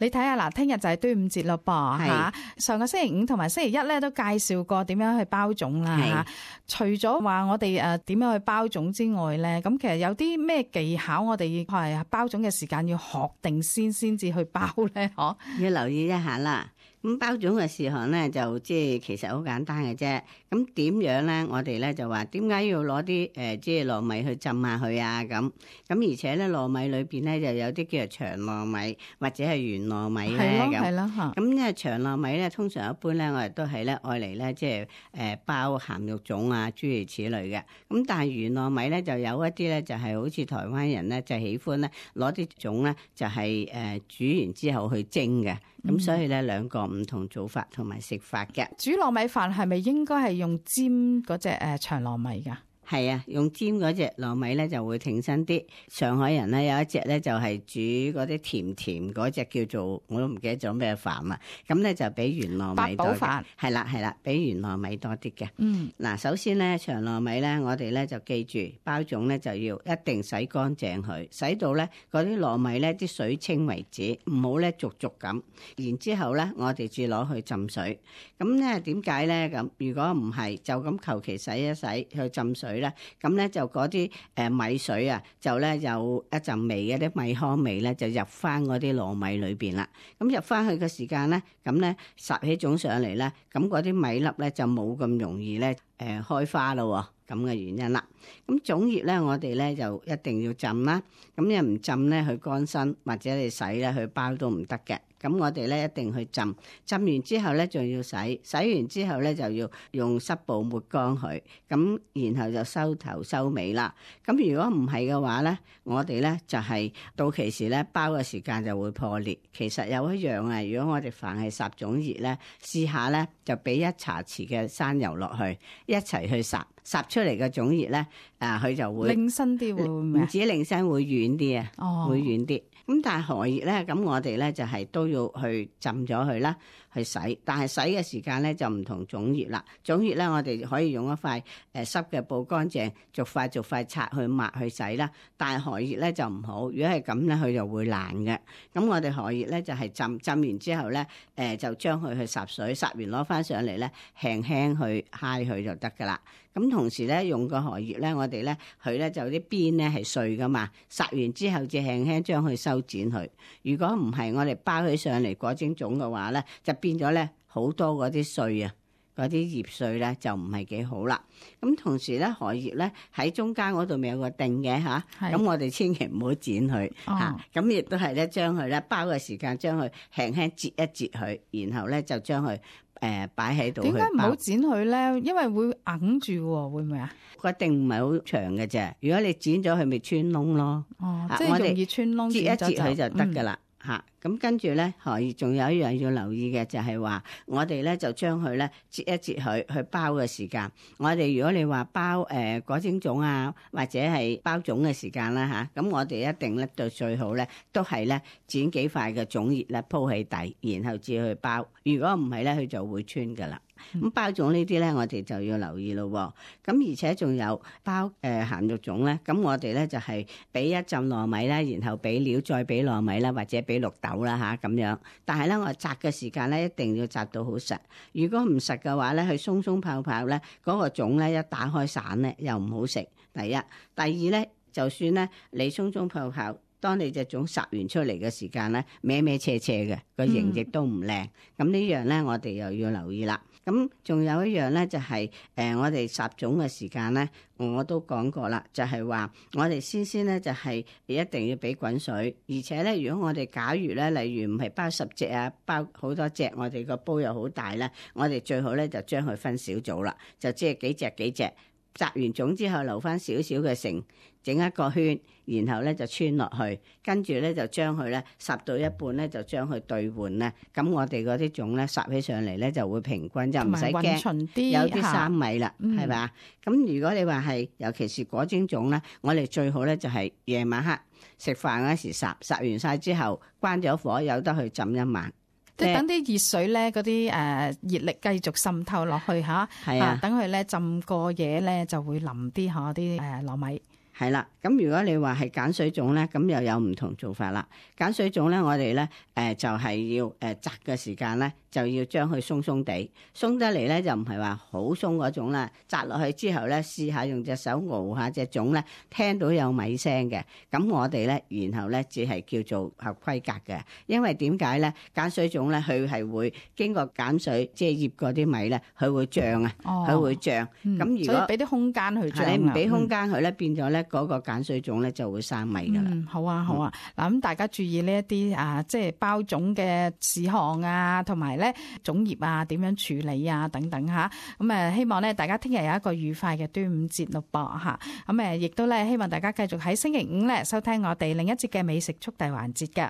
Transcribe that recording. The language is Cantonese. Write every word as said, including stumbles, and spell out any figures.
你睇下嗱，聽日就係端午節咯噃嚇。上個星期五同埋星期一咧都介紹過點樣去包粽啦嚇。除咗話我哋誒點樣去包粽之外咧，咁其實有啲咩技巧我哋係包粽嘅時間要學定先先至去包咧？嗬，要留意一下啦。咁包粽嘅事項咧，就即係其實好簡單嘅啫。咁點樣咧？我哋咧就話點解要攞啲誒即係糯米去浸下佢啊？咁咁而且咧糯米裏邊咧就有啲叫做長糯米或者係圓糯米咧咁。係咯，嚇。咁因為長糯米咧，通常一般咧我哋都係咧愛嚟咧即係誒包鹹肉粽啊諸如此類嘅。咁但係圓糯米咧就有一啲咧就係好似台灣人咧就喜歡咧攞啲粽咧就係誒煮完之後去蒸嘅。咁、嗯、所以咧兩個唔同做法同埋食法嘅。煮糯米飯係咪應該係用尖嗰隻誒長糯米㗎？係啊，用尖嗰隻糯米咧就會挺身啲。上海人咧有一隻咧就係煮嗰啲甜甜嗰隻叫做我都唔記得咗咩飯啦。咁咧就比圓糯米多嘅。八寶飯。係啦係啦，比圓糯米多啲嘅。嗯。嗱，首先咧長糯米咧，我哋咧就記住包粽咧就要一定洗乾淨佢，洗到咧嗰啲糯米咧啲水清為止，唔好咧濁濁咁。然之後咧，我哋至攞去浸水。咁咧點解咧咁？如果唔係就咁求其洗一洗去浸水。咁咧就嗰啲誒米水啊，就咧有一陣味嘅啲米糠味咧，就入翻嗰啲糯米裏邊啦。咁入翻去嘅時間咧，咁咧烚起粽上嚟咧，咁嗰啲米粒咧就冇咁容易咧誒開花咯。咁嘅原因啦。咁粽葉咧，我哋咧就一定要浸啦。咁你唔浸咧，佢乾身或者你洗咧，佢包都唔得嘅。咁我哋咧一定去浸，浸完之後咧仲要洗，洗完之後咧就要用濕布抹乾佢，咁然後就收頭收尾啦。咁如果唔係嘅話咧，我哋咧就係到期時咧包嘅時間就會破裂。其實有一樣啊，如果我哋凡係烚粽葉咧，試下咧就俾一茶匙嘅生油落去，一齊去烚，烚出嚟嘅粽葉咧，啊佢就會擰身啲會唔會？唔止擰身會軟啲啊，哦、會軟啲。咁但係荷葉咧，咁我哋咧就係都要去浸咗佢啦，去洗。但係洗嘅時間咧就唔同粽葉啦。粽葉咧，我哋可以用一塊誒濕嘅布乾淨，逐塊逐塊拆去抹去洗啦。但係荷葉咧就唔好，如果係咁咧，佢就會爛嘅。咁我哋荷葉咧就係浸浸完之後咧，誒就將佢去烚水，烚完攞翻上嚟咧，輕輕去揩佢就得噶啦。咁同時咧，用個荷葉咧，我哋咧佢咧就啲邊咧係碎噶嘛，烚完之後就輕輕將佢修剪佢。如果唔係，我哋包起上嚟裹蒸粽嘅話咧，就變咗咧好多嗰啲碎啊，嗰啲葉碎咧就唔係幾好啦。咁同時咧，荷葉咧喺中間嗰度咪有個頂嘅吓，咁我哋千祈唔好剪佢吓。咁亦都係咧將佢咧包嘅時間將佢輕輕折一折佢，然後咧就將佢。誒擺喺度。點解唔好剪佢咧？因為會硬住喎，會唔會啊？佢一定唔係好長嘅啫。如果你剪咗佢，咪穿窿咯。哦，即係容易穿窿。折一折佢就得㗎啦。嚇、嗯，咁跟住咧，可以仲有一樣要留意嘅就係話，我哋咧就將佢咧折一折佢去包嘅時間。我哋如果你話包誒裹蒸粽啊，或者係包粽嘅時間啦嚇，咁我哋一定咧到最好咧都係咧剪幾塊嘅粽葉咧鋪起底，然後至去包。如果唔係咧，佢就會穿㗎啦。咁包粽呢啲咧，我哋就要留意咯。咁而且仲有包誒鹹肉粽咧，咁我哋咧就係俾一浸糯米啦，然後俾料，再俾糯米啦，或者俾綠豆啦吓咁樣。但係咧，我紮嘅時間咧一定要紮到好實。如果唔實嘅話咧，佢鬆鬆泡泡咧，嗰個粽咧一打開散咧，又唔好食。第一，第二咧，就算咧你鬆鬆泡泡。當你隻粽烚完出嚟嘅時間咧，歪歪斜斜嘅個形亦都唔靚。咁、嗯、呢樣咧，我哋又要留意啦。咁仲有一樣咧，就係、是、誒、呃、我哋烚粽嘅時間咧，我都講過啦，就係、是、話我哋先先咧就係一定要俾滾水，而且咧如果我哋假如咧，例如唔係包十隻啊，包好多隻，我哋個煲又好大咧，我哋最好咧就將佢分小組啦，就即係幾隻幾隻。烚完粽之後留翻少少嘅繩，整一個圈，然後咧就穿落去，跟住咧就將佢咧烚到一半咧就將佢兌換咧，咁我哋嗰啲粽咧烚起上嚟咧就會平均，就唔使驚有啲生米啦，係咪啊？咁如果你話係尤其是裹蒸粽咧，我哋最好咧就係夜晚黑食飯嗰時烚，烚完晒之後關咗火，有得去浸一晚。即係等啲熱水咧，嗰啲誒熱力繼續滲透落去嚇，係啊，等佢咧浸過夜咧就會腍啲嚇啲誒糯米。係啦，咁如果你話係鹼水粽咧，咁又有唔同做法啦。鹼水粽咧，我哋咧誒就係要誒摘嘅時間咧，就要將佢鬆鬆地，鬆得嚟咧就唔係話好鬆嗰種啦。摘落去之後咧，試下用隻手熬下隻粽咧，聽到有米聲嘅，咁我哋咧，然後咧只係叫做合規格嘅。因為點解咧？鹼水粽咧，佢係會經過鹼水即係醃嗰啲米咧，佢會脹啊，佢、哦、會脹。咁、嗯、如果俾啲空間去脹，你唔俾空間佢咧，變咗咧。嗰個鹼水粽咧就會生米㗎啦、嗯。好啊，好啊。嗱、嗯，咁大家注意呢一啲啊，即係包粽嘅事項啊，同埋咧粽葉啊點樣處理啊等等嚇。咁誒希望咧大家聽日有一個愉快嘅端午節咯噃嚇。咁誒亦都咧希望大家繼續喺星期五咧收聽我哋另一節嘅美食速遞環節㗎。